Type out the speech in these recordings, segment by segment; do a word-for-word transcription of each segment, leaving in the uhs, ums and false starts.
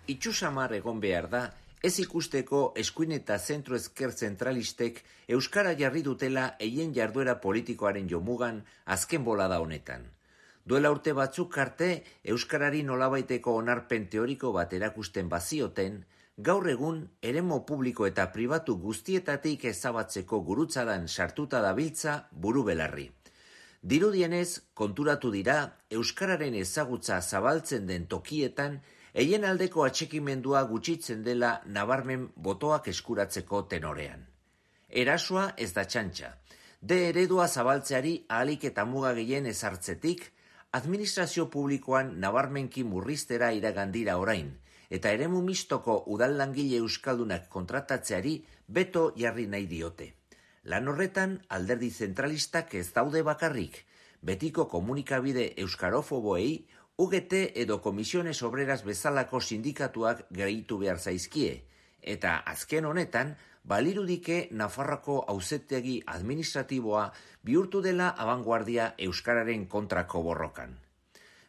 Itxusamar egon behar da, ez ikusteko eskuin eta zentro ezker zentralistek euskara jarri dutela eien jarduera politikoaren jomugan azken bolada honetan. Duela urte batzuk arte, euskarari nolabaiteko onarpen teoriko bat erakusten bazioten, gaur egun eremu publiko eta pribatu guztietatik ezabatzeko gurutzadan sartuta dabiltza buru belarri. Dirudienez, konturatu dira, euskararen ezagutza zabaltzen den tokietan, eien aldeko atxikimendua gutxitzen dela nabarmen botoak eskuratzeko tenorean. Erasoa ez da txantxa. De eredua zabaltzeari ahalik eta muga gehien ezartzetik, administrazio publikoan nabarmenki murriztera iragandira orain, eta eremu mistoko udal langile euskaldunak kontratatzeari beto jarri nahi diote. Lan horretan, alderdi zentralistak ez daude bakarrik, betiko komunikabide euskarofoboei, U G T edo Komisiones Obreras bezalako sindikatuak gehitu behar zaizkie, eta azken honetan, balirudike Nafarroko auzitegi administratiboa bihurtu dela abanguardia euskararen kontrako borrokan.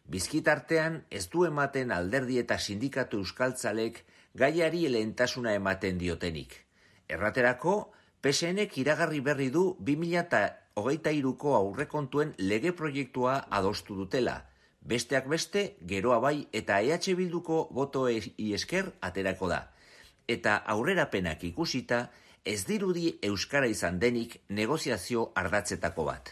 Bizkitartean ez du ematen alderdi eta sindikatu euskaltzalek gaiari lehentasuna ematen diotenik. Erraterako, P S Nek iragarri berri du bi mila hogeita hiruko aurrekontuen lege proiektua adostu dutela, besteak beste, geroa bai eta E H Bilduko botoei esker aterako da. Eta aurrerapenak ikusita, ez dirudi euskara izan denik negoziazio ardatzetako bat.